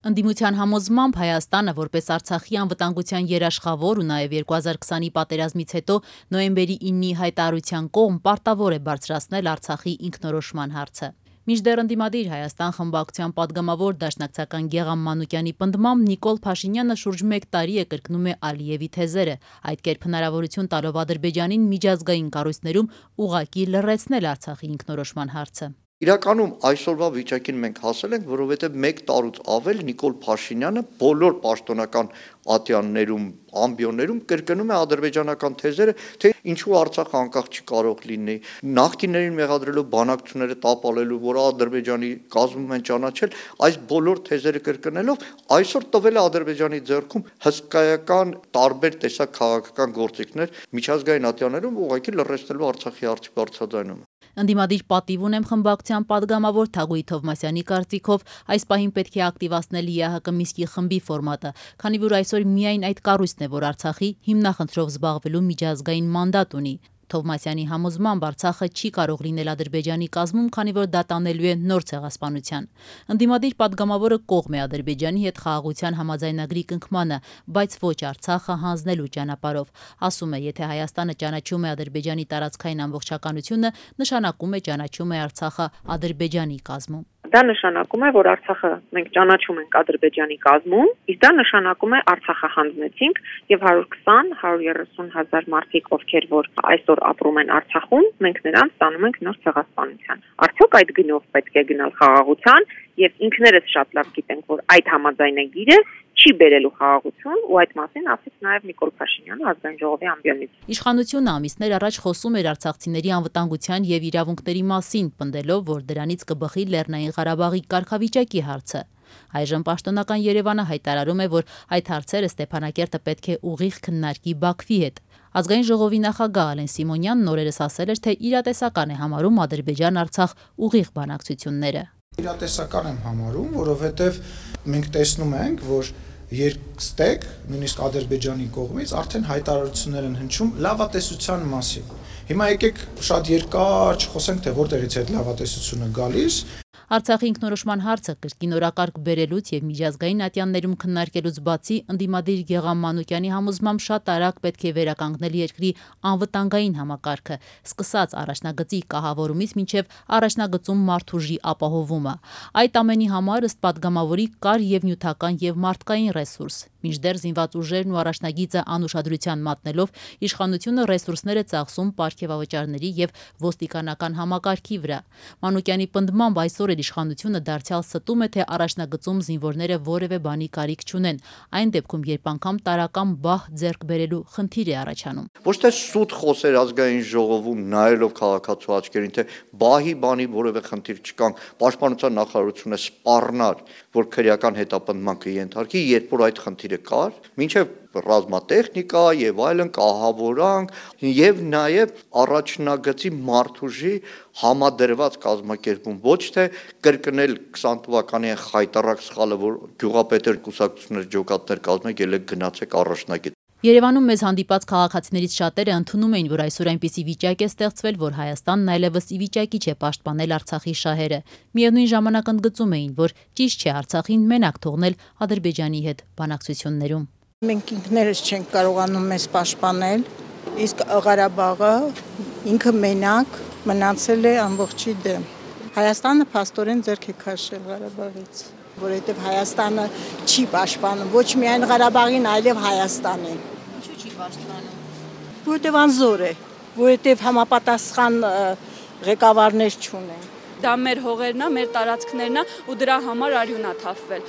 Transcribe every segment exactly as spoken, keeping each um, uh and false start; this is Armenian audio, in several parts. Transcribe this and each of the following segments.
Ընդդիմության համոզմամբ Հայաստանը որպես Արցախի անվտանգության երաշխավոր ու նաև երկու հազար քսանի պատերազմից հետո նոյեմբերի իննի հայտարարության կողմ պարտավոր է բարձրացնել Արցախի ինքնորոշման հարցը։ Մինչդեռ ընդդիմադիր Հայաստան խմբակցության պատգամավոր դաշնակցական Գեղամ Մանուկյանի պնդմամբ Նիկոլ Փաշինյանը շուրջ մեկ տարի է կրկնում է Ալիևի թեզերը, այդ կերպ հնարավորություն տալով Ադրբեջանին միջազգային կառույցներում ուղղակի լռեցնել Արցախի ինքնորոշման հարցը։ Իրականում այսօրվա վիճակին մենք հասել ենք, որովհետև մեկ տարուց ավել Նիկոլ Փաշինյանը բոլոր պաշտոնական ատյաններում, ամբիոններում կրկնում է ադրբեջանական թեզերը, թե ինչու Արցախը անկախ չի կարող լինի, նախկիններին մեղադրելով բանակցությունները տապալելու, որ Ադրբեջանի կազմում են ճանաչել, այս բոլոր թեզերը կրկնելով այսօր տվել է Ադրբեջանի ձեռքում հսկայական տարբեր տեսակ քաղաքական գործիքներ միջազգային ատյաններում ուղղակի լռեցնելու Արցախի հարցի բարձրաձայնումը։ Ընդդիմադիր պատիվ ունեմ խմբակցության պատգամավոր Թագուհի Թովմասյանի կարծիքով այս պահին պետք է ակտիվացնել ԵԱՀԿ Մինսկի խմբի ֆորմատը, քանի որ այսօր միայն այդ կառույցն է, որ Արցախի հիմնախնդրով զբաղվելու միջազգային մանդատ ունի։ Թովմասյանի համոզմամբ Արցախը չի կարող լինել Ադրբեջանի կազմում, քանի որ դա տանելու է նոր ցեղասպանության։ Ընդդիմադիր պատգամավորը կողմ է Ադրբեջանի հետ խաղաղության համաձայնագրի կնքմանը, բայց ոչ Արցախը հանձնելու ճանապարհով։ Ասում է, եթե Հայաստանը ճանաչում է Ադրբեջանի տարածքային ամբողջականությունը, նշանակում է ճանաչում է Արցախը Ադրբեջանի կազմում։ Դա նշանակում է, որ Արցախը մենք ճանաչում ենք Ադրբեջանի կազմում, իսկ դա նշանակում է Արցախը հանձնեցինք եւ հարյուր քսան հարյուր երեսուն հազար մարդիկ, ովքեր որ այսօր ապրում են Արցախում, մենք նրանց տանում ենք նոր ցեղասպանության։ Արդյոք այդ գնով պետք է գնալ խաղաղության եւ ինքներս շատ լավ գիտենք, որ այդ համաձայնագիրը չի բերելու խաղաղություն ու այդ մասին ասեց նաև Նիկոլ Փաշինյանը ազգային ժողովի ամբիոնից։ Իշխանությունը ամիսներ առաջ խոսում էր արցախցիների անվտանգության եւ իրավունքների մասին, պնդելով, որ դրանից կբխի Լեռնային Ղարաբաղի կարգավիճակի հարցը։ Այժմ պաշտոնական Երևանը հայտարարում է, որ այդ հարցերը Ստեփանակերտը պետք է ուղիղ քննարկի Բաքվի հետ։ Ազգային ժողովի նախագահ Ալեն Սիմոնյանն օրերս ասել էր, թե իրատեսական է համարում Ադրբեջան-Արցախ ուղիղ բանակցությունները։ Իրատեսական եմ համարում, որովհետև մենք տեսնում ենք, որ երկստեք, նույնիսկ Ադրբեջանի կողմից արդեն հայտարարություններ են հնչում լավատեսության մասին։ Հիմա եկեք շատ երկար չխոսենք, թե որտեղից է այդ լավատեսությունը գալիս։ Արցախի ինքնորոշման հարցը կրկին օրակարգ բերելուց եւ միջազգային ատյաններում քննարկելուց բացի ընդդիմադիր Գեղամ Մանուկյանի համոզմամբ շատ արագ պետք է վերականգնել երկրի անվտանգային համակարգը, սկսած առաջնագծի կահավորումից մինչև առաջնագծում մարդուժի ապահովումը։ Այդ ամենի համար ըստ պատգամավորի կար եւ նյութական եւ մարդկային ռեսուրս։ Մինչդեռ զինված ուժերն ու առաջնագիծը անուշադրության մատնելով իշխանությունը ռեսուրսները ծախսում պարգևավճարների եւ ոստիկանական համակարգի վրա։ Մանուկյանի պնդմամբ այսօր իշխանությունը դարձյալ ստում է, թե առաջնագծում զինվորները որևէ բանի կարիք չունեն, այն դեպքում, երբ անգամ տարական բահ ձեռք բերելու խնդիր է առաջանում։ Ոչ թե սուտ խոսեր ազգային ժողովում նայելով քաղաքացու աչքերին, թե բահի բանի որևէ խնդիր չկան, պաշտպանության նախարարությունը սպառնար, որ քրեական հետապնդման կենթարկի, երբ որ այդ խնդիրը կար, մինչև ռազմատեխնիկա եւ այլն կահավորանք եւ նաեւ առաջնագծի մարդուժի համադրված կազմակերպում, ոչ թե կրկնել քսան թվականի խայտարակ սխալը, որ գյուղապետեր կուսակցություններ ջոկատներ կազմեք, ելեք գնացեք առաջնագիծ։ Երևանում մեզ հանդիպած քաղաքացիներից շատերը ընդունում էին, որ այսօր այնպիսի վիճակ է ստեղծվել, որ Հայաստանն այլևս ի վիճակի չէ պաշտպանել Արցախի շահերը։ Միևնույն ժամանակ ընդգծում էին, որ ճիշտ չէ Արցախին մենակ թողնել Ադրբեջանի հետ բանակցություններում։ Մենք ինքներս չենք կարողանում մեզ պաշտպանել, իսկ Ղարաբաղը ինքը մենակ մնացել է ամբողջի դեմ։ Հայաստանը փաստորեն ձեռք է քաշել Ղարաբաղից, որովհետև Հայաստանը չի պաշտպանում ոչ միայն Ղարաբաղին, այլև Հայաստանին։ Ինչու չի պաշտպանում։ Որովհետև անզոր է, որովհետև համապատասխան ղեկավարներ չունեն։ Դա մեր հողերն է, մեր տարածքներն է ու դրա համար արյուն է թափվել։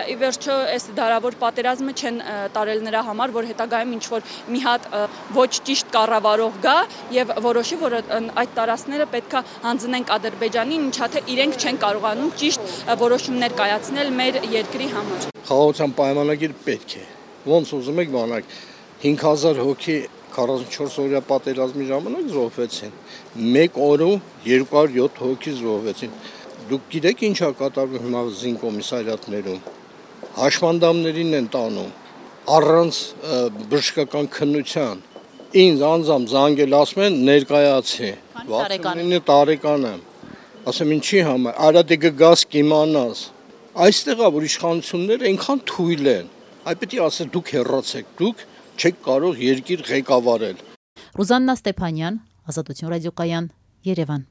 Ի վերջո այս դարավոր պատերազմը չեն տարել նրա համար, որ հետագայում ինչ որ մի հատ ոչ ճիշտ կառավարող գա եւ որոշի, որ այդ տարածքները պետքա հանձնենք Ադրբեջանին, ինչա թե իրենք չեն կարողանում ճիշտ որոշումներ կայացնել մեր երկրի համար։ Խաղաղության պայմանագիր պետք է։ Ոնց ուզում եք բանակ հինգ հազար հոգի քառասունչորս օրյա պատերազմի ժամանակ զոհվեցին, մեկ օրում երկու հարյուր յոթ հոգի զոհվեցին։ Դուք գիտեք ինչ է կատարվում հիմա զինկոմիսարիատներում, հաշմանդամներին են տանում, առանց բժշկական քննության, ինձ անձամբ զանգել ասում են ներկայացի, վաթսունինը տարեկան եմ, ասեմ ինչի համար, արա դե գաս կիմանաս, Այստեղ է որ իշխանությունները այնքան թույլ են, այ պետք է ասել դուք հեռացեք, դուք չեք կարող երկիր ղեկավարել։ Ռուզաննա Ստեփանյան, Ազատություն ռադիոկայան, Երևան։